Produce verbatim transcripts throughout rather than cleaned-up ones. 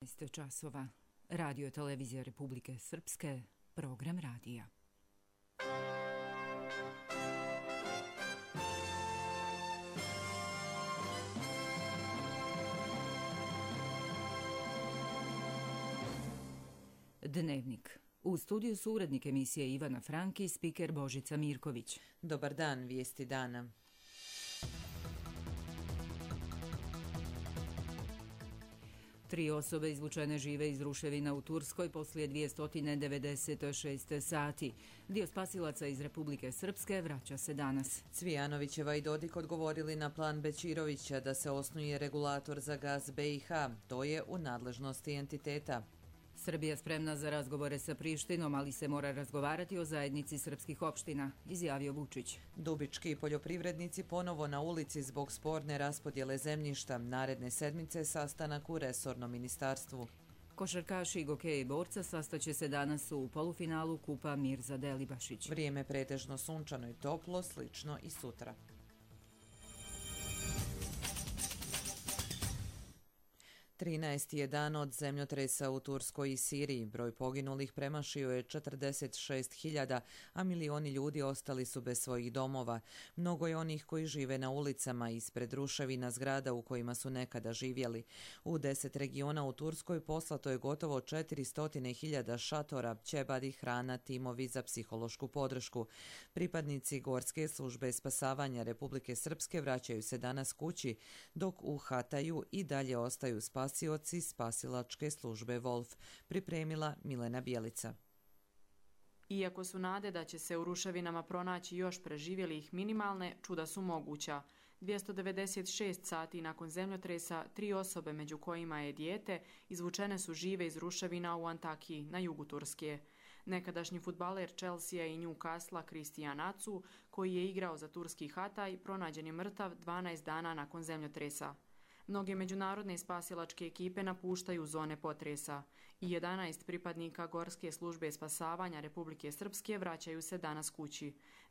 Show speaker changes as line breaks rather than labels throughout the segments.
šesnaest časova. Radio televizija Republike Srpske, program radija. Dnevnik. U studiju su urednik emisije Ivana Franki i spiker Božica Mirković.
Dobar dan, vijesti dana.
Tri osobe izvučene žive iz ruševina u Turskoj poslije dvjesto devedeset šest sati. Dio spasilaca iz Republike Srpske vraća se danas.
Cvijanovićeva i Dodik odgovorili na plan Bećirovića da se osnuje regulator za gaz B i H. To je u nadležnosti entiteta.
Srbija spremna za razgovore sa Prištinom, ali se mora razgovarati o zajednici srpskih opština, izjavio Vučić.
Dubički poljoprivrednici ponovo na ulici zbog sporne raspodjele zemljišta. Naredne sedmice sastanak u resornom ministarstvu.
Košarkaši Gokeja i Borca sastaće se danas u polufinalu Kupa Mirza Delibašić.
Vrijeme pretežno sunčano i toplo, slično i sutra. trinaesti je dan od zemljotresa u Turskoj i Siriji. Broj poginulih premašio je četrdeset šest hiljada, a milioni ljudi ostali su bez svojih domova. Mnogo je onih koji žive na ulicama ispred ruševina zgrada u kojima su nekada živjeli. U deset regiona u Turskoj poslato je gotovo četiristo hiljada šatora, ćebadi, hrana, timovi za psihološku podršku. Pripadnici Gorske službe spasavanja Republike Srpske vraćaju se danas kući, dok u Hataju i dalje ostaju spasavanje spasioci spasilačke službe Wolf, pripremila Milena Bjelica.
Iako su nade da će se u ruševinama pronaći još preživjelih minimalne, čuda su moguća. dvjesto devedeset šest sati nakon zemljotresa, tri osobe, među kojima je dijete, izvučene su žive iz ruševina u Antakiji, na jugu Turske. Nekadašnji fudbaler Chelsea i Newcastle Christian Atsu, koji je igrao za turski Hataj, pronađen je mrtav dvanaest dana nakon zemljotresa. Mnoge međunarodne spasilačke ekipe napuštaju zone potresa i jedanaest pripadnika Gorske službe spasavanja Republike Srpske vraćaju se danas kući,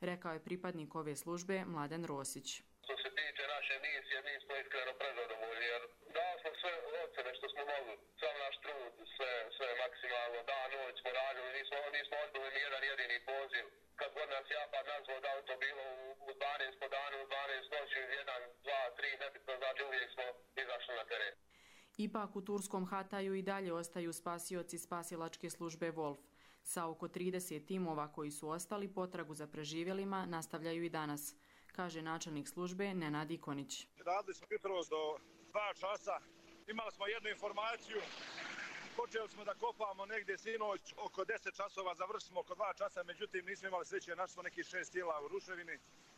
rekao je pripadnik ove službe Mladen Rosić.
Što se tiče naše misije, mi smo iskreno prezadovoljni jer dali smo sve ocene što smo mogli, sam naš trud, sve, sve maksimalno, dan, noć smo radili, nismo, nismo odbili ni jedan jedini poziv. Kad god nas Japad nazvao da to bilo u dvanaest po danu, u dvanaest noći, jedan, dva, tri, nebitno, znači uvijek smo izašli na teren.
Ipak u turskom Hataju i dalje ostaju spasioci spasilačke službe Wolf. Sa oko trideset timova koji su ostali, potragu za preživjelima nastavljaju i danas, kaže načelnik službe Nenad Ikonić.
Radili smo jutros do dva časa, imali smo jednu informaciju. Počeli smo da kopamo negdje sinoć, oko deset časova, završili smo oko dva časa, međutim nismo imali sreće, našli smo nekih šest tijela u ruševini.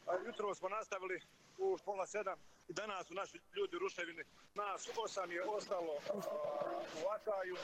A jutro smo nastavili u pola sedam i danas su naši ljudi u ruševini. Nas osam je ostalo u Hataju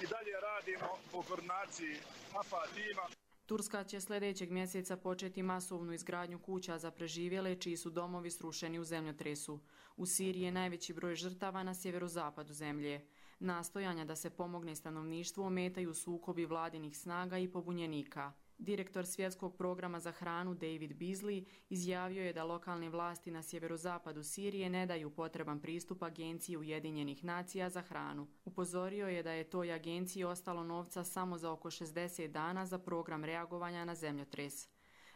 i dalje radimo po koordinaciji A F A tima.
Turska će sljedećeg mjeseca početi masovnu izgradnju kuća za preživjele čiji su domovi srušeni u zemljotresu. U Siriji je najveći broj žrtava na sjeverozapadu zemlje. Nastojanja da se pomogne stanovništvu ometaju sukobi vladinih snaga i pobunjenika. Direktor Svjetskog programa za hranu David Beasley izjavio je da lokalne vlasti na sjeverozapadu Sirije ne daju potreban pristup Agenciji Ujedinjenih nacija za hranu. Upozorio je da je toj agenciji ostalo novca samo za oko šezdeset dana za program reagovanja na zemljotres.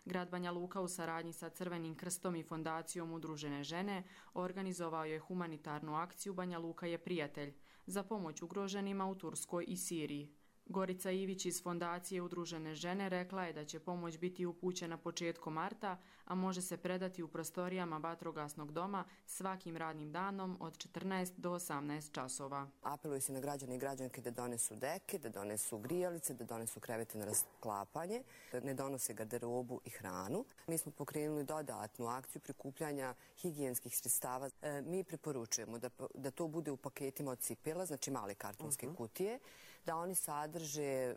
Grad Banja Luka u saradnji sa Crvenim krstom i fondacijom Udružene žene organizovao je humanitarnu akciju Banja Luka je prijatelj za pomoć ugroženima u Turskoj i Siriji. Gorica Ivić iz fondacije Udružene žene rekla je da će pomoć biti upućena početkom marta, a može se predati u prostorijama vatrogasnog doma svakim radnim danom od četrnaest do osamnaest časova.
Apeluje se na građane i građanke da donesu deke, da donesu grijalice, da donesu krevete na rasklapanje, da ne donose garderobu i hranu. Mi smo pokrenuli dodatnu akciju prikupljanja higijenskih sredstava. E, mi preporučujemo da, da to bude u paketima od cipela, znači male kartonske uh-huh. kutije, da oni sad sadrže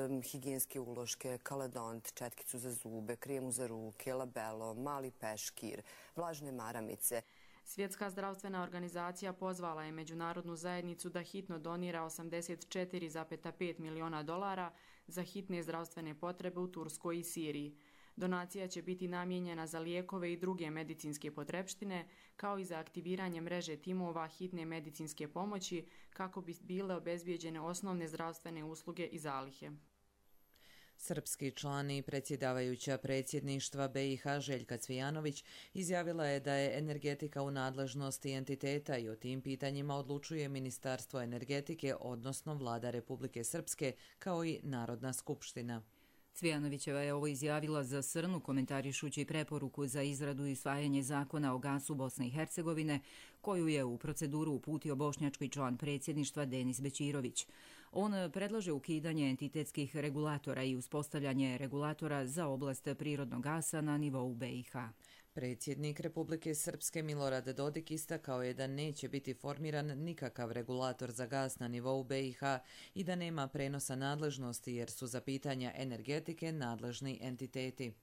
um, higijenske uloške, kaladont, četkicu za zube, kremu za ruke, labelo, mali peškir, vlažne maramice.
Svjetska zdravstvena organizacija pozvala je međunarodnu zajednicu da hitno donira osamdeset četiri zarez pet miliona dolara za hitne zdravstvene potrebe u Turskoj i Siriji. Donacija će biti namijenjena za lijekove i druge medicinske potrepštine, kao i za aktiviranje mreže timova hitne medicinske pomoći kako bi bile obezbijeđene osnovne zdravstvene usluge i zalihe.
Srpski član i predsjedavajuća predsjedništva B i H Željka Cvijanović izjavila je da je energetika u nadležnosti entiteta i o tim pitanjima odlučuje Ministarstvo energetike, odnosno Vlada Republike Srpske, kao i Narodna skupština.
Cvijanovićeva je ovo izjavila za Srnu, komentarišući preporuku za izradu i usvajanje zakona o gasu Bosne i Hercegovine, koju je u proceduru uputio bošnjački član predsjedništva Denis Bećirović. On predlaže ukidanje entitetskih regulatora i uspostavljanje regulatora za oblast prirodnog gasa na nivou B i H.
Predsjednik Republike Srpske Milorad Dodik istakao je da neće biti formiran nikakav regulator za gas na nivou B i H i da nema prenosa nadležnosti jer su za pitanja energetike nadležni entiteti.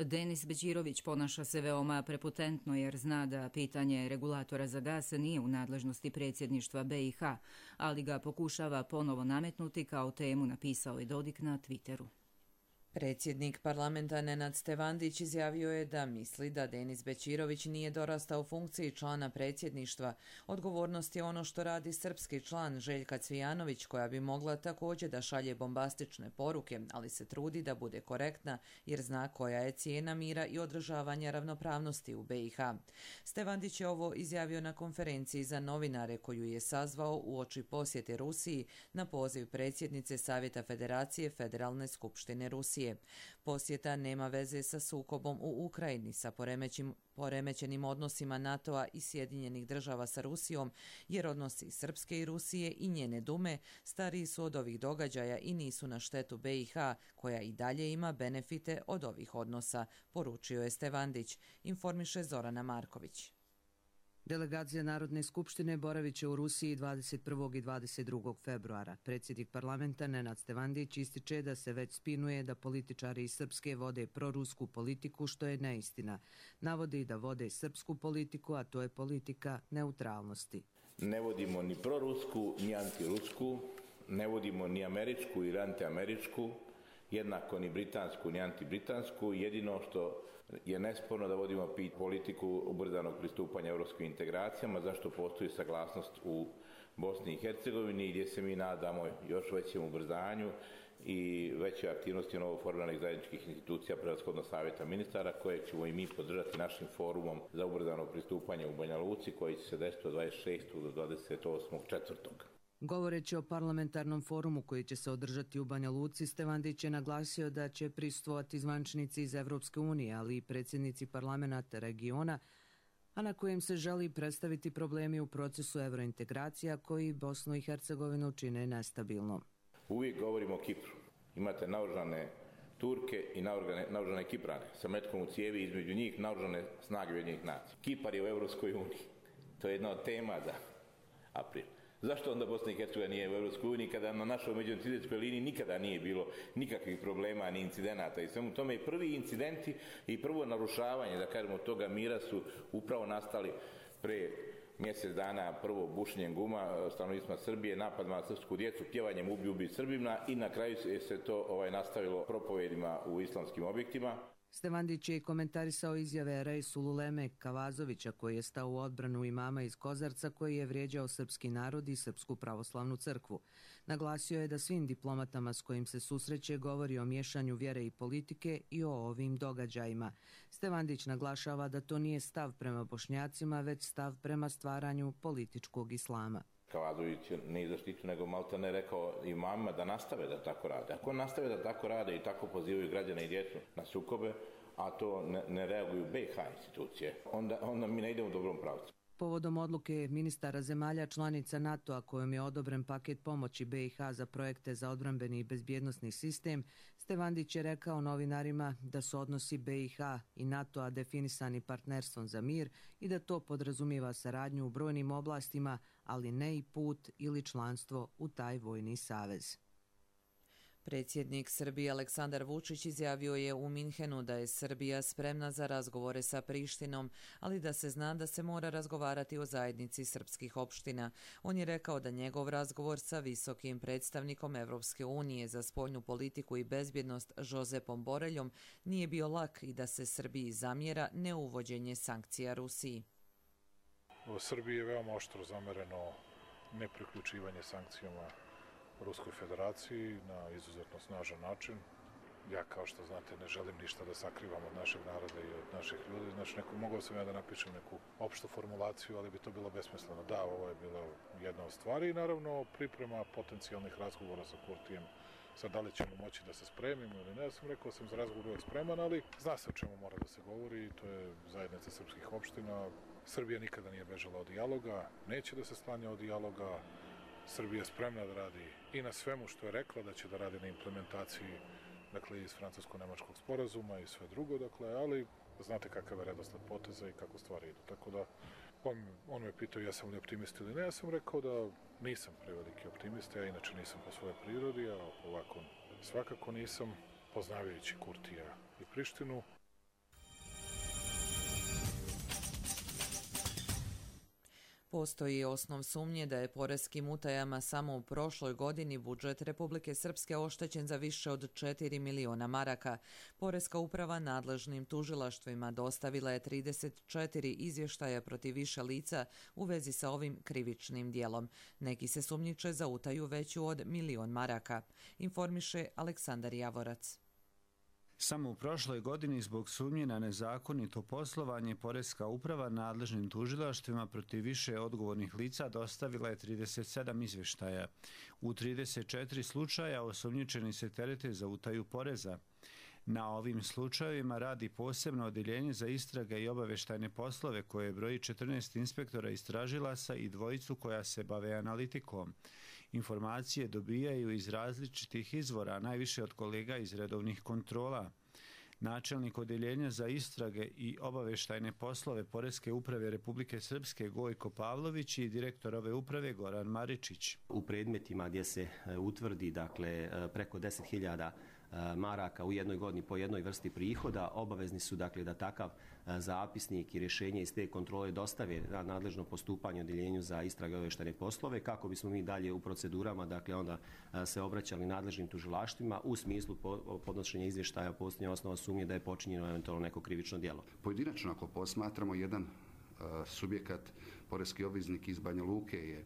Denis Bećirović ponaša se veoma prepotentno jer zna da pitanje regulatora za gas nije u nadležnosti predsjedništva B i H, ali ga pokušava ponovo nametnuti kao temu, napisao je Dodik na Twitteru.
Predsjednik parlamenta Nenad Stevandić izjavio je da misli da Denis Bećirović nije dorastao funkciji člana predsjedništva. Odgovornost je ono što radi srpski član Željka Cvijanović, koja bi mogla također da šalje bombastične poruke, ali se trudi da bude korektna jer zna koja je cijena mira i održavanja ravnopravnosti u B i H. Stevandić je ovo izjavio na konferenciji za novinare koju je sazvao uoči posjete Rusiji na poziv predsjednice Savjeta Federacije Federalne skupštine Rusije. Posjeta nema veze sa sukobom u Ukrajini, sa poremećenim odnosima NATO-a i Sjedinjenih država sa Rusijom, jer odnosi Srpske i Rusije i njene dume stariji su od ovih događaja i nisu na štetu B i H, koja i dalje ima benefite od ovih odnosa, poručio je Stevandić, informiše Zorana Marković.
Delegacija Narodne skupštine boravit će u Rusiji dvadeset prvog i dvadeset drugog februara. Predsjednik parlamenta Nenad Stevandić ističe da se već spinuje da političari iz Srpske vode prorusku politiku, što je neistina. Navodi da vode srpsku politiku, a to je politika neutralnosti.
Ne vodimo ni prorusku, ni antirusku, ne vodimo ni američku ili antiameričku, jednako ni britansku, ni antibritansku. Jedino što je nesporno da vodimo politiku ubrzanog pristupanja europskim integracijama, zašto postoji saglasnost u Bosni i Hercegovini, gdje se mi nadamo još većem ubrzanju i većoj aktivnosti novoformiranih zajedničkih institucija, prevashodno Savjeta ministara, koje ćemo i mi podržati našim forumom za ubrzano pristupanje u Banja Luci, koji će se desiti od dvadeset šestog do dvadeset osmog četvrtog
Govoreći o parlamentarnom forumu koji će se održati u Banja Luci, Stevandić je naglasio da će prisustvovati zvaničnici iz Evropske unije, ali i predsjednici parlamenata regiona, a na kojem se želi predstaviti problemi u procesu evrointegracija koji Bosnu i Hercegovinu čine nestabilnom.
Uvijek govorimo o Kipru. Imate naoružane Turke i naoružane Kiprane sa metkom u cijevi, između njih naoružane snage Ujedinjenih nacija. Kipar je u Evropskoj uniji. To je jedna od tema za april. Zašto onda Bosna i Hercegovina nije u Evropskoj uniji kada na našoj međuentitetskoj liniji nikada nije bilo nikakvih problema ni incidenata i svemu tome i prvi incidenti i prvo narušavanje, da kažemo, toga mira su upravo nastali pre mjesec dana, prvo bušenjem guma stanovnicima Srbije, napad na srpsku djecu, pjevanjem ubi ubi Srbima i na kraju se to ovaj, nastavilo propovedima u islamskim objektima.
Stevandić je komentarisao izjave Rejsul Uleme Kavazovića, koji je stao u odbranu imama iz Kozarca koji je vrijeđao srpski narod i Srpsku pravoslavnu crkvu. Naglasio je da svim diplomatama s kojim se susreće govori o miješanju vjere i politike i o ovim događajima. Stevandić naglašava da to nije stav prema Bošnjacima, već stav prema stvaranju političkog islama.
Kavazović ne zaštitu, nego malta ne rekao imamima da nastave da tako rade. Ako nastave da tako rade i tako pozivaju građane i djecu na sukobe, a to ne, ne reaguju B i H institucije, onda, onda mi ne idemo u dobrom pravcu.
Povodom odluke ministara zemalja članica NATO-a kojom je odobren paket pomoći B i H za projekte za odbrambeni i bezbjednosni sistem, Stevandić je rekao novinarima da su odnosi B i H i NATO-a definisani partnerstvom za mir i da to podrazumijeva saradnju u brojnim oblastima, ali ne i put ili članstvo u taj vojni savez.
Predsjednik Srbije Aleksandar Vučić izjavio je u Minhenu da je Srbija spremna za razgovore sa Prištinom, ali da se zna da se mora razgovarati o zajednici srpskih opština. On je rekao da njegov razgovor sa visokim predstavnikom Evropske unije za spoljnu politiku i bezbjednost Josepom Boreljom nije bio lak i da se Srbiji zamjera neuvođenje sankcija Rusiji.
U Srbiji je veoma oštro zamereno nepriključivanje sankcijama Ruskoj federaciji na izuzetno snažan način. Ja, kao što znate, ne želim ništa da sakrivam od našeg naroda i od naših ljudi. Znači, neko, mogao sam ja da napišem neku opštu formulaciju, ali bi to bilo besmisleno. Da, ovo je bila jedna od stvari i naravno priprema potencijalnih razgovora sa Kurtijem. Sad, da li ćemo moći da se spremimo ili ne, ja sam rekao sam za razgovor uvek spreman, ali zna se o čemu mora da se govori, to je zajednica srpskih opština. Srbija nikada nije bežala od dijaloga, neće da se sklanja od dijaloga. Srbija je spremna da radi i na svemu što je rekla, da će da radi na implementaciji, dakle, iz francusko-nemačkog sporazuma i sve drugo, dakle, ali znate kakav je redosled poteza i kako stvari idu. Tako da, on, on me pitao ja sam li optimist ili ne, ja sam rekao da nisam preveliki optimist, ja inače nisam po svojoj prirodi, a ovako svakako nisam, poznavajući Kurtija i Prištinu.
Postoji osnov sumnje da je poreskim utajama samo u prošloj godini budžet Republike Srpske oštećen za više od četiri miliona maraka. Poreska uprava nadležnim tužilaštvima dostavila je trideset četiri izvještaja protiv više lica u vezi sa ovim krivičnim dijelom. Neki se sumnjiče za utaju veću od milion maraka, informiše Aleksandar Javorac.
Samo u prošloj godini zbog sumnje na nezakonito poslovanje Poreska uprava nadležnim tužilaštvima protiv više odgovornih lica dostavila je trideset sedam izvještaja. U trideset četiri slučaja osumnjičeni se terete za utaju poreza. Na ovim slučajevima radi posebno odeljenje za istrage i obaveštajne poslove koje broji četrnaest inspektora istražilaca i dvojicu koja se bave analitikom. Informacije dobijaju iz različitih izvora, najviše od kolega iz redovnih kontrola. Načelnik odeljenja za istrage i obaveštajne poslove Poreske uprave Republike Srpske Gojko Pavlović i direktor ove uprave Goran Maričić.
U predmetima gdje se utvrdi, dakle, preko deset hiljada maraka u jednoj godini po jednoj vrsti prihoda, obavezni su, dakle, da takav zapisnik i rješenje iz te kontrole dostave na nadležno postupanje odeljenju za istrage i obaveštajne poslove, kako bismo mi dalje u procedurama, dakle, onda se obraćali nadležnim tužilaštvima u smislu podnošenja izvještaja postoje osnova sumnje da je počinjeno eventualno neko krivično djelo.
Pojedinačno, ako posmatramo, jedan uh, subjekat, poreski obveznik iz Banja Luke je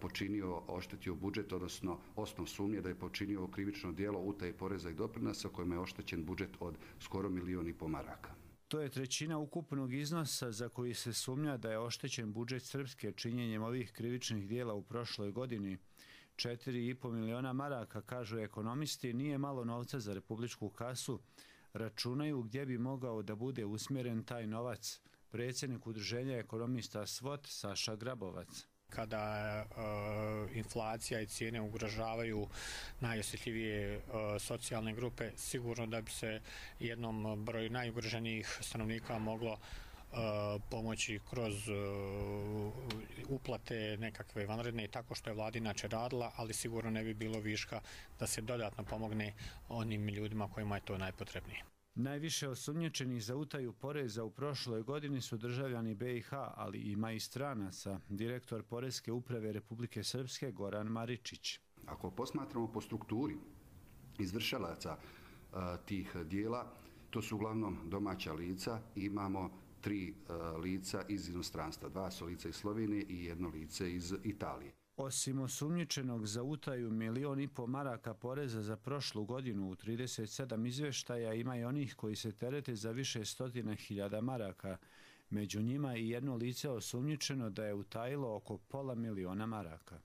počinio, oštetio budžet, odnosno osnov sumnje da je počinio krivično djelo utaje poreza i doprinosa kojima je oštećen budžet od skoro milion i po maraka.
To je trećina ukupnog iznosa za koji se sumnja da je oštećen budžet Srpske činjenjem ovih krivičnih djela u prošloj godini. četiri i po miliona maraka, kažu ekonomisti, nije malo novca za republičku kasu. Računaju gdje bi mogao da bude usmjeren taj novac. Predsjednik udruženja ekonomista S V O T Saša Grabovac.
Kada e, inflacija i cijene ugrožavaju najosjetljivije e, socijalne grupe, sigurno da bi se jednom broju najugroženijih stanovnika moglo e, pomoći kroz e, uplate nekakve vanredne, tako što je vlada inače radila, ali sigurno ne bi bilo viška da se dodatno pomogne onim ljudima kojima je to najpotrebnije.
Najviše osumnjičenih za utaju poreza u prošloj godini su državljani B i H, ali ima i stranaca, direktor Poreske uprave Republike Srpske Goran Maričić.
Ako posmatramo po strukturi izvršalaca a, tih dijela, to su uglavnom domaća lica, imamo tri a, lica iz inostranstva, dva su lica iz Slovenije i jedno lice iz Italije.
Osim osumnjičenog za utaju milion i po maraka poreza za prošlu godinu u trideset sedam izvještaja ima i onih koji se terete za više stotina hiljada maraka. Među njima i jedno lice osumnjičeno da je utajilo oko pola miliona maraka.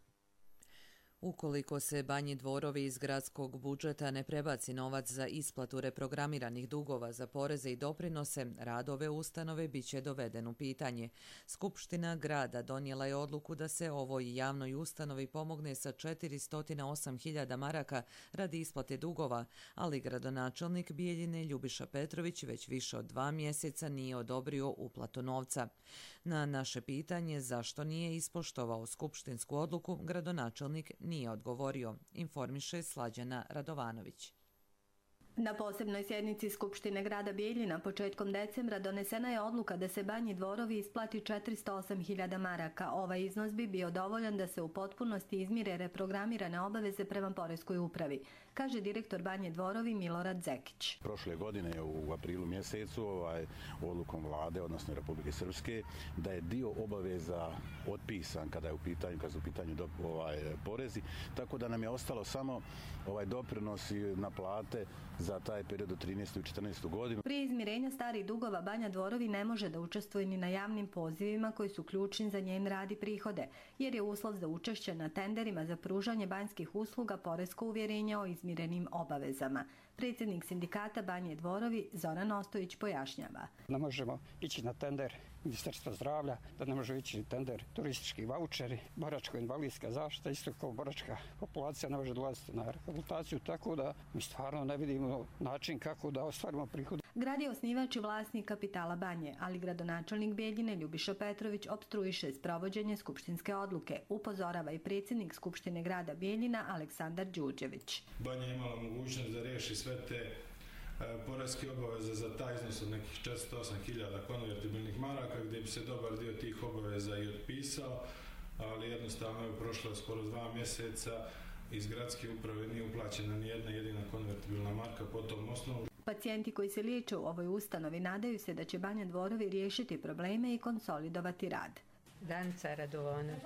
Ukoliko se Banji Dvorovi iz gradskog budžeta ne prebaci novac za isplatu reprogramiranih dugova za poreze i doprinose, rad ove ustanove biće doveden u pitanje. Skupština grada donijela je odluku da se ovoj javnoj ustanovi pomogne sa četiristo osam hiljada maraka radi isplate dugova, ali gradonačelnik Bijeljine Ljubiša Petrović već više od dva mjeseca nije odobrio uplatu novca. Na naše pitanje zašto nije ispoštovao skupštinsku odluku, gradonačelnik nije odgovorio, informiše Slađana Radovanović.
Na posebnoj sjednici Skupštine grada Bijeljina početkom decembra donesena je odluka da se Banji Dvorovi isplati četiristo osam hiljada maraka. Ovaj iznos bi bio dovoljan da se u potpunosti izmire reprogramirane obaveze prema poreskoj upravi, kaže direktor Banje Dvorovi Milorad Zekić.
Prošle godine u aprilu mjesecu ovaj, odlukom vlade, odnosno Republike Srpske, da je dio obaveza otpisan kada je u pitanju, kada su u pitanju do, ovaj, porezi, tako da nam je ostalo samo ovaj doprinosi na plate za taj period od trinaestu i četrnaestu godinu.
Prije izmirenja starih dugova Banja Dvorovi ne može da učestvuje ni na javnim pozivima koji su ključni za njen rad i prihode, jer je uslov za učešće na tenderima za pružanje banjskih usluga poresko uvjerenje o izmirenim obavezama. Predsjednik sindikata Banje Dvorovi Zoran Ostojić pojašnjava.
Ne možemo ići na tender Ministarstva zdravlja, da ne može ići tender turistički vaučeri, boračko-invalidska zaštita, isto kao boračka populacija ne može dolaziti na rehabilitaciju, tako da mi stvarno ne vidimo način kako da ostvarimo prihod.
Grad je osnivač i vlasnik kapitala Banje, ali gradonačelnik Bijeljine Ljubiša Petrović opstruiše sprovođenje skupštinske odluke, upozorava i predsjednik Skupštine grada Bijeljina Aleksandar Đurđević.
Banja je imala mogućnost da riješi sve te poreske obaveze za taj iznos od nekih četiristo osam hiljada konvertibilnih maraka, gdje bi se dobar dio tih obaveza i otpisao, ali jednostavno je prošlo skoro dva mjeseca, iz gradske uprave nije uplaćena ni jedna jedina konvertibilna marka po tom osnovu.
Pacijenti koji se liječe u ovoj ustanovi nadaju se da će Banja Dvorovi riješiti probleme i konsolidovati rad.
Danica Radovanović,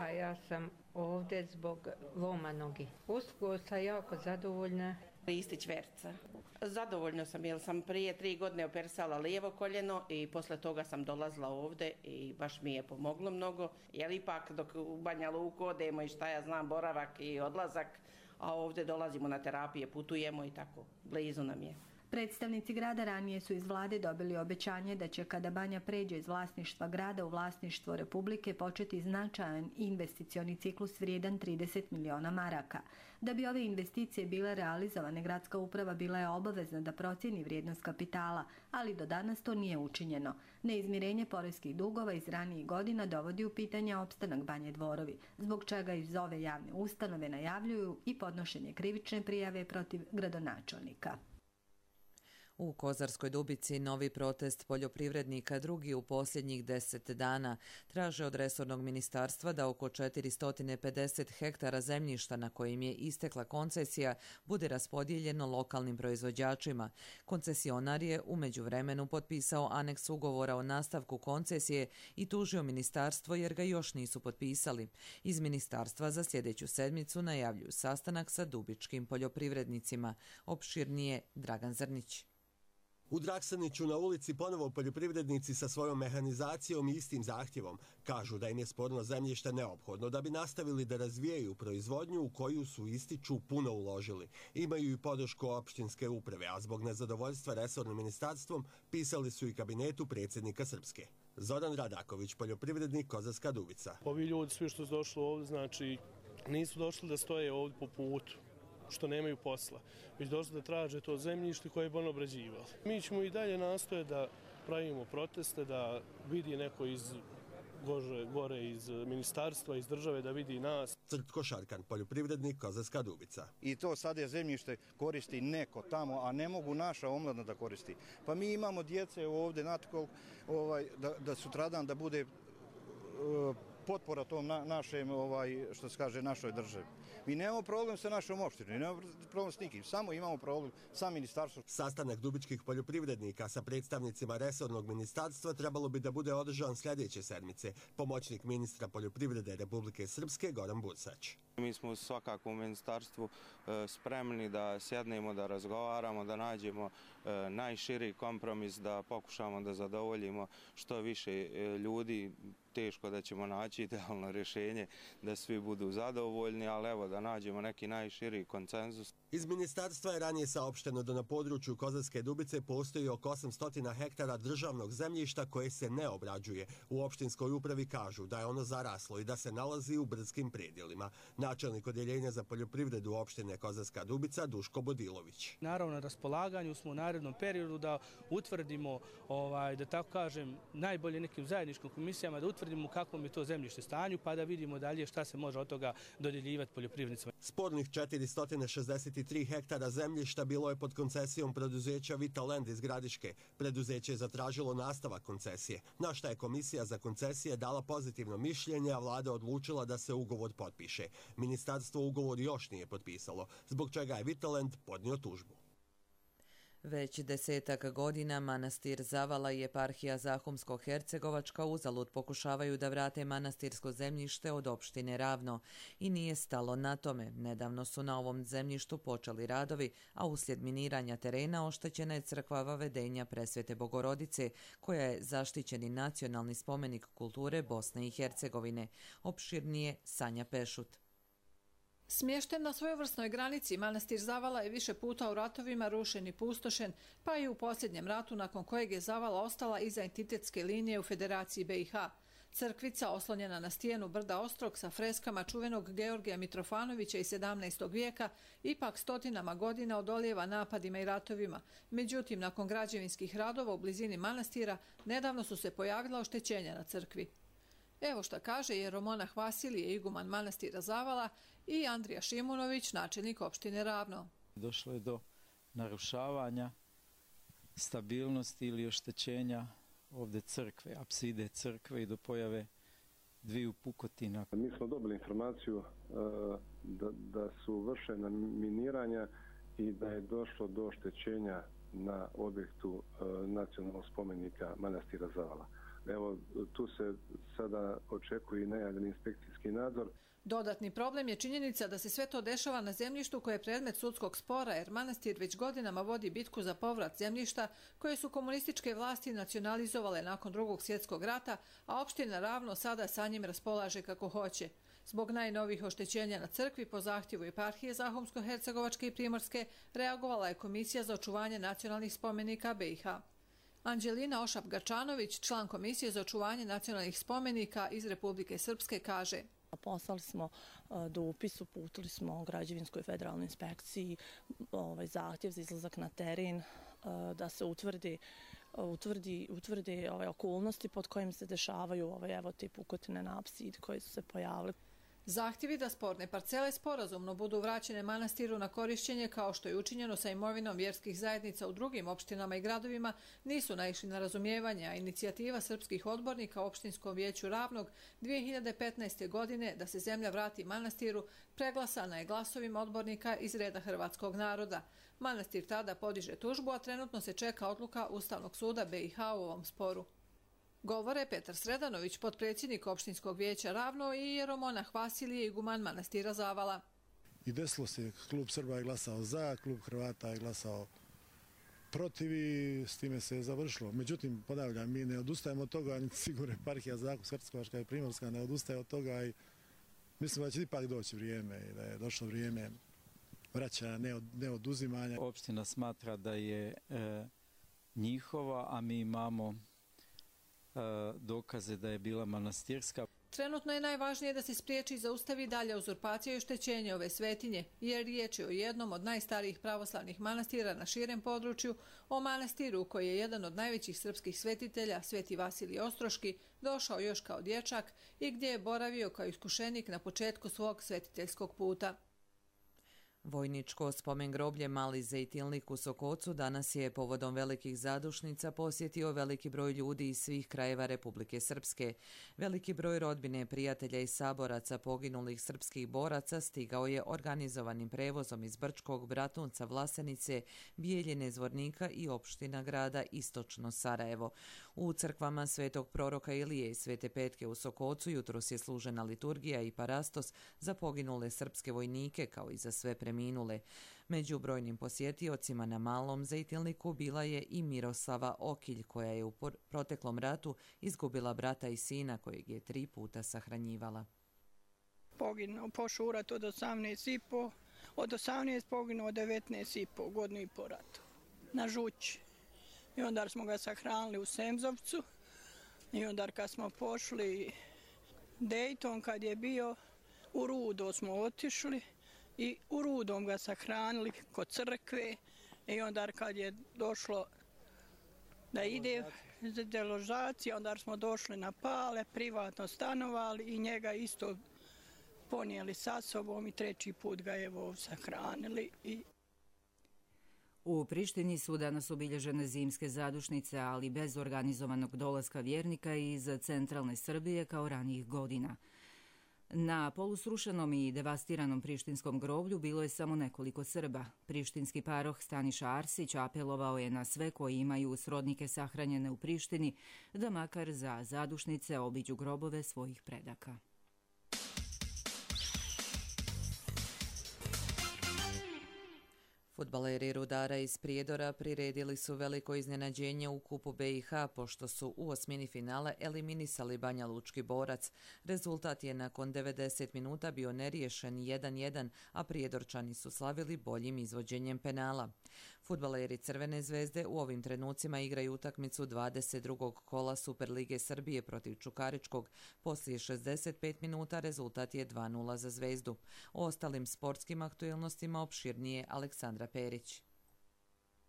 a ja sam ovdje zbog loma nogi. Uskoro sam jako zadovoljna.
Ristić Verca. Zadovoljno sam jer sam prije tri godine operisala lijevo koljeno i posle toga sam dolazila ovdje i baš mi je pomoglo mnogo. Jer ipak dok u Banja Luku odemo i šta ja znam, boravak i odlazak, a ovdje dolazimo na terapije, putujemo i tako, blizu nam je.
Predstavnici grada ranije su iz vlade dobili obećanje da će kada Banja pređe iz vlasništva grada u vlasništvo Republike početi značajan investicioni ciklus vrijedan trideset miliona maraka. Da bi ove investicije bile realizovane, gradska uprava bila je obavezna da procjeni vrijednost kapitala, ali do danas to nije učinjeno. Neizmirenje poreskih dugova iz ranijih godina dovodi u pitanje opstanak Banje Dvorovi, zbog čega iz ove javne ustanove najavljuju i podnošenje krivične prijave protiv gradonačelnika.
U Kozarskoj Dubici novi protest poljoprivrednika, drugi u posljednjih deset dana, traže od resornog ministarstva da oko četiristo pedeset hektara zemljišta na kojim je istekla koncesija bude raspodijeljeno lokalnim proizvođačima. Koncesionar je u međuvremenu potpisao aneks ugovora o nastavku koncesije i tužio ministarstvo jer ga još nisu potpisali. Iz ministarstva za sljedeću sedmicu najavljuju sastanak sa dubičkim poljoprivrednicima. Opširnije Dragan Zrnić.
U Draksaniću na ulici ponovo poljoprivrednici sa svojom mehanizacijom i istim zahtjevom kažu da im je sporno zemljište neophodno da bi nastavili da razvijaju proizvodnju u koju su, ističu, puno uložili. Imaju i podršku opštinske uprave, a zbog nezadovoljstva resornim ministarstvom pisali su i kabinetu predsjednika Srpske. Zoran Radaković, poljoprivrednik, Kozarska Dubica.
Ovi ljudi svi što su došli ovdje, znači nisu došli da stoje ovdje po putu, što nemaju posla, već došli da traže to zemljište koje bi on obrađivali. Mi ćemo i dalje nastoje da pravimo proteste, da vidi neko iz gore, gore iz ministarstva, iz države, da vidi nas.
Crtko Šarkan, poljoprivrednik, Kozarska Dubica.
I to sad je zemljište koristi neko tamo, a ne mogu naša omladna da koristi. Pa mi imamo djece ovdje, natkol, ovaj, da, da sutradan da bude uh, potpora tom na, našem, ovaj, što se kaže, našoj državi. Mi nemamo problem sa našom opštinom, nemamo problem s nikim, samo imamo problem sa ministarstvom.
Sastanak dubičkih poljoprivrednika sa predstavnicima resornog ministarstva trebalo bi da bude održan sljedeće sedmice. Pomoćnik ministra poljoprivrede Republike Srpske Goran Bursać.
Mi smo svakako u ministarstvu spremni da sjednemo, da razgovaramo, da nađemo najširi kompromis, da pokušamo da zadovoljimo što više ljudi. Teško da ćemo naći idealno rješenje da svi budu zadovoljni, ali evo da nađemo neki najširi konsenzus.
Iz ministarstva je ranije saopšteno da na području Kozarske Dubice postoji oko osamsto hektara državnog zemljišta koje se ne obrađuje. U opštinskoj upravi kažu da je ono zaraslo i da se nalazi u brdskim predjelima. Načelnik odjeljenja za poljoprivredu opštine Kozarska Dubica Duško Bodilović.
Naravno, na raspolaganju smo u narednom periodu da utvrdimo, ovaj, da tako kažem, najbolje nekim zajedničkim komisijama, da utvrdimo kakvom je to zemljište stanju, pa da vidimo dalje šta se može od toga dodjeljivati poljoprivrednicima.
Spornih četiristo šezdeset tri hektara zemljišta bilo je pod koncesijom preduzeća Vitalend iz Gradiške. Preduzeće je zatražilo nastavak koncesije, na šta je komisija za koncesije dala pozitivno mišljenje, a vlada odlučila da se ugovor potpiše. Ministarstvo ugovor još nije potpisalo, zbog čega je Vitalend podnio tužbu.
Već desetak godina manastir Zavala i eparhija Zahumsko-Hercegovačka uzalud pokušavaju da vrate manastirsko zemljište od opštine Ravno i nije stalo na tome. Nedavno su na ovom zemljištu počeli radovi, a uslijed miniranja terena oštećena je crkva Vavedenja Presvete Bogorodice, koja je zaštićeni nacionalni spomenik kulture Bosne i Hercegovine. Opširnije Sanja Pešut.
Smješten na svojevrsnoj granici, manastir Zavala je više puta u ratovima rušen i pustošen, pa i u posljednjem ratu nakon kojeg je Zavala ostala iza entitetske linije u Federaciji B i H. Crkvica, oslonjena na stijenu brda Ostrog sa freskama čuvenog Georgija Mitrofanovića iz sedamnaestog vijeka, ipak stotinama godina odolijeva napadima i ratovima. Međutim, nakon građevinskih radova u blizini manastira, nedavno su se pojavila oštećenja na crkvi. Evo šta kaže jeromonah Vasilije, iguman manastira Zavala, i Andrija Šimunović, načelnik opštine Ravno.
Došlo je do narušavanja stabilnosti ili oštećenja ovdje crkve, apside crkve i do pojave dviju pukotina.
Mi smo dobili informaciju da, da su vršena miniranja i da je došlo do oštećenja na objektu nacionalnog spomenika manastira Zavala. Evo, tu se sada očekuje i najavljeni inspekcijski nadzor.
Dodatni problem je činjenica da se sve to dešava na zemljištu koje je predmet sudskog spora, jer manastir već godinama vodi bitku za povrat zemljišta koje su komunističke vlasti nacionalizovale nakon drugog svjetskog rata, a opština Ravno sada sa njim raspolaže kako hoće. Zbog najnovih oštećenja na crkvi po zahtjevu eparhije Zahumsko-Hercegovačke i Primorske reagovala je Komisija za očuvanje nacionalnih spomenika B i H. Anđelina Ošap-Gačanović, član Komisije za očuvanje nacionalnih spomenika iz Republike Srpske, kaže:
Poslali smo dopis, uputili smo građevinskoj federalnoj inspekciji ovaj, zahtjev za izlazak na teren da se utvrdi, utvrdi, utvrdi ove okolnosti pod kojim se dešavaju ove, evo, te pukotine na apsidi koje su se pojavile.
Zahtjevi da sporne parcele sporazumno budu vraćene manastiru na korišćenje, kao što je učinjeno sa imovinom vjerskih zajednica u drugim opštinama i gradovima, nisu naišli na razumijevanje, a inicijativa srpskih odbornika u opštinskom vijeću Ravnog dvije hiljade petnaeste. godine da se zemlja vrati manastiru preglasana je glasovima odbornika iz reda hrvatskog naroda. Manastir tada podiže tužbu, a trenutno se čeka odluka Ustavnog suda B i H u ovom sporu. Govore Petar Sredanović, potpredsjednik opštinskog vijeća Ravno, i jeromonah Vasilije, iguman manastira Zavala.
I desilo se, klub Srba je glasao za, klub Hrvata je glasao protiv i s time se je završilo. Međutim, ponavljam, mi ne odustajemo od toga, niti sigurno eparhija Zahumsko-Hercegovačka i Primorska ne odustaje od toga i mislim da će ipak doći vrijeme i da je došlo vrijeme vraćanja, ne, od, ne oduzimanja.
Opština smatra da je e, njihova, a mi imamo dokaze da je bila manastirska.
Trenutno je najvažnije da se spriječi i zaustavi dalja uzurpacija i oštećenje ove svetinje, jer riječ je o jednom od najstarijih pravoslavnih manastira na širem području, o manastiru koji je jedan od najvećih srpskih svetitelja, Sveti Vasilij Ostroški, došao još kao dječak i gdje je boravio kao iskušenik na početku svog svetiteljskog puta.
Vojničko spomen groblje Mali Zejtilnik u Sokocu danas je povodom velikih zadušnica posjetio veliki broj ljudi iz svih krajeva Republike Srpske. Veliki broj rodbine, prijatelja i saboraca poginulih srpskih boraca stigao je organizovanim prevozom iz Brčkog, Bratunca, Vlasenice, Bijeljine, Zvornika i opština grada Istočno Sarajevo. U crkvama Svetog proroka Ilije i Svete Petke u Sokocu jutros je služena liturgija i parastos za poginule srpske vojnike kao i za sve preminule. Minule. Među brojnim posjetiocima na Malom Zejtilniku bila je i Miroslava Okilj, koja je u proteklom ratu izgubila brata i sina kojeg je tri puta sahranjivala.
Poginuo, pošao u rat od osamnaest i po, od osamnaest poginuo devetnaest i po, godinu i po ratu, na Žući. I onda smo ga sahranili u Semzovcu i onda kad smo pošli Dejton, kad je bio, u Rudo smo otišli i u Rudom ga sahranili kod crkve i onda kad je došlo da ide za deložacija, onda smo došli na Pale, privatno stanovali i njega isto ponijeli sa sobom i treći put ga je evo sahranili. I...
U Prištini su danas obilježene zimske zadušnice, ali bez organizovanog dolaska vjernika iz centralne Srbije kao ranijih godina. Na polusrušenom i devastiranom prištinskom groblju bilo je samo nekoliko Srba. Prištinski paroh Staniša Arsić apelovao je na sve koji imaju srodnike sahranjene u Prištini da makar za zadušnice obiđu grobove svojih predaka.
Fudbaleri Rudara iz Prijedora priredili su veliko iznenađenje u kupu be i ha pošto su u osmini finale eliminisali Banja Lučki Borac. Rezultat je nakon devedeset minuta bio neriješen jedan jedan, a Prijedorčani su slavili boljim izvođenjem penala. Fudbaleri Crvene zvezde u ovim trenucima igraju utakmicu dvadeset drugog kola Superlige Srbije protiv Čukaričkog. Poslije šezdeset pet minuta rezultat je dva nula za Zvezdu. O ostalim sportskim aktualnostima opširnije Aleksandra Perić.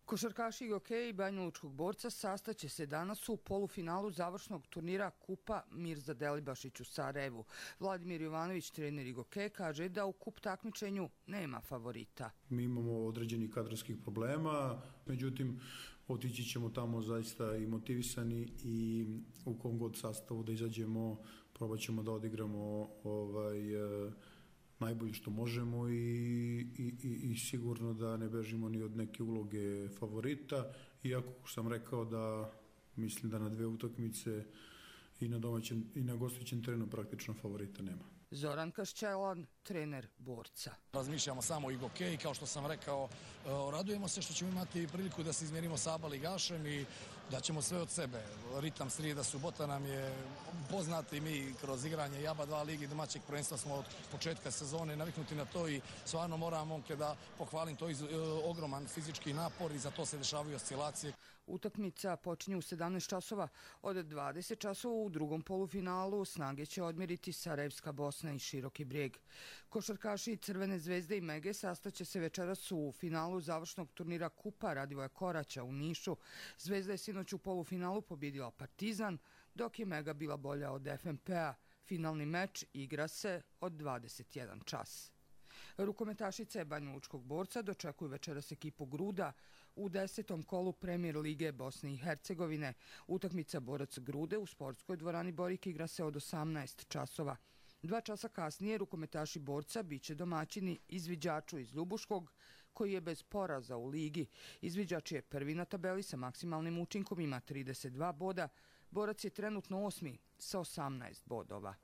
Košarkaši i hokeji Banja Lučkog Borca sastaće se danas u polufinalu završnog turnira Kupa Mirza Delibašić u Sarajevu. Vladimir Jovanović, trener Igoke, kaže da u kup takmičenju nema favorita.
Mi imamo određenih kadrovskih problema, međutim otići ćemo tamo zaista i motivisani i u kom god sastavu da izađemo, probat ćemo da odigramo ovaj, najbolje što možemo i, i, i sigurno da ne bežimo ni od neke uloge favorita, iako sam rekao da mislim da na dve utakmice i na domaćem i na gostujućem terenu praktično favorita nema.
Zoran Kašćelan, trener Borca.
Razmišljamo samo o Igokeji, kao što sam rekao, radujemo se što ćemo imati priliku da se izmjerimo sa Aba ligašem i da ćemo sve od sebe. Ritam srijeda, subota nam je poznati, mi kroz igranje i Aba dva ligi domaćeg prvenstva smo od početka sezone naviknuti na to i stvarno moram momke da pohvalim to iz, ogroman fizički napor i za to se dešavaju oscilacije.
Utakmica počinje u sedamnaest časova. Od dvadeset časova u drugom polufinalu snage će odmjeriti Sarajevska Bosna i Široki Brijeg. Košarkaši Crvene zvezde i Mege sastaće se večeras u finalu završnog turnira Kupa Radivoja Koraća u Nišu. Zvezda je sinoć u polufinalu pobjedila Partizan, dok je Mega bila bolja od ef em pe a. Finalni meč igra se od dvadeset jedan čas. Rukometašice Banja Lučkog Borca dočekuju večeras ekipu Gruda u desetom kolu Premijer lige Bosne i Hercegovine. Utakmica Borac Grude u sportskoj dvorani Borik igra se od osamnaest časova. Dva časa kasnije rukometaši Borca biće domaćini Izviđaču iz Ljubuškog, koji je bez poraza u ligi. Izviđač je prvi na tabeli sa maksimalnim učinkom, ima trideset dva boda. Borac je trenutno osmi sa osamnaest bodova.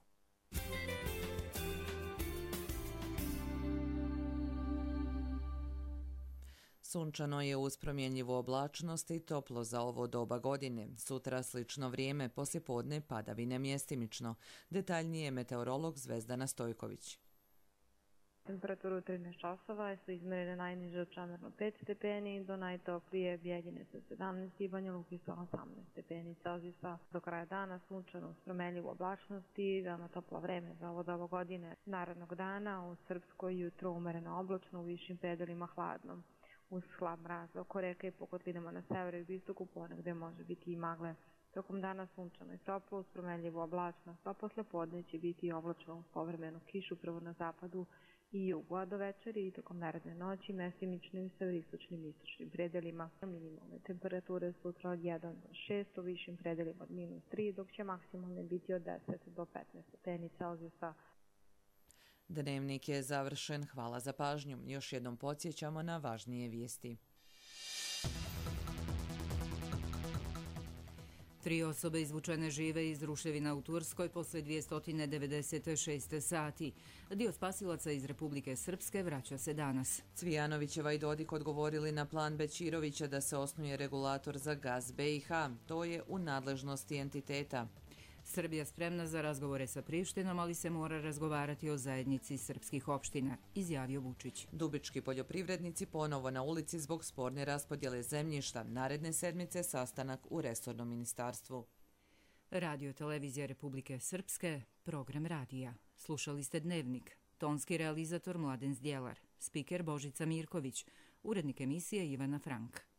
Sunčano je uz promjenjivu oblačnost i toplo za ovo doba godine. Sutra slično vrijeme, poslijepodne padavine mjestimično. Detaljnije meteorolog Zvezdana Stojković.
Temperaturu u trinaest časova su izmjerene najniže u Čamernu pet stepeni, do najtoplije Bjeljine sa sedamnaest i Banja Luki sa osamnaest stepeni Celzijusa. Do kraja dana sunčano uz promjenjivu oblačnost i veoma toplo vreme za ovo doba godine. Narednog dana u Srpskoj jutro umereno oblačno, u višim predelima hladno. Uz slab mraz oko reke i po kotlinama na severu i istoku ponegde može biti i magle. Tokom dana sunčano i toplo uz promjenjivu oblačnost, a posle podne će biti i oblačno uz povremenu kišu prvo na zapadu i jugu, a do večeri i tokom naredne noći mestimičnim i severistočnim istočnim predelima. Minimalne temperature sutra od jedan do šest, u višim predelima od minus tri, dok će maksimalne biti od deset do petnaest stepeni Celzijusa.
Dnevnik je završen. Hvala za pažnju. Još jednom podsjećamo na važnije vijesti.
Tri osobe izvučene žive iz ruševina u Turskoj posle dvjesto devedeset šest sati. Dio spasilaca iz Republike Srpske vraća se danas.
Cvijanovićeva i Dodik odgovorili na plan Bećirovića da se osnuje regulator za gaz be i ha. To je u nadležnosti entiteta.
Srbija spremna za razgovore sa Prištinom, ali se mora razgovarati o zajednici srpskih opština, izjavio Vučić.
Dubički poljoprivrednici ponovo na ulici zbog sporne raspodjele zemljišta. Naredne sedmice sastanak u resornom ministarstvu.
Radio Televizija Republike Srpske, program radija. Slušali ste Dnevnik. tonski realizator Mladen Zdjelar, spiker Božica Mirković, urednik emisije Ivana Frank.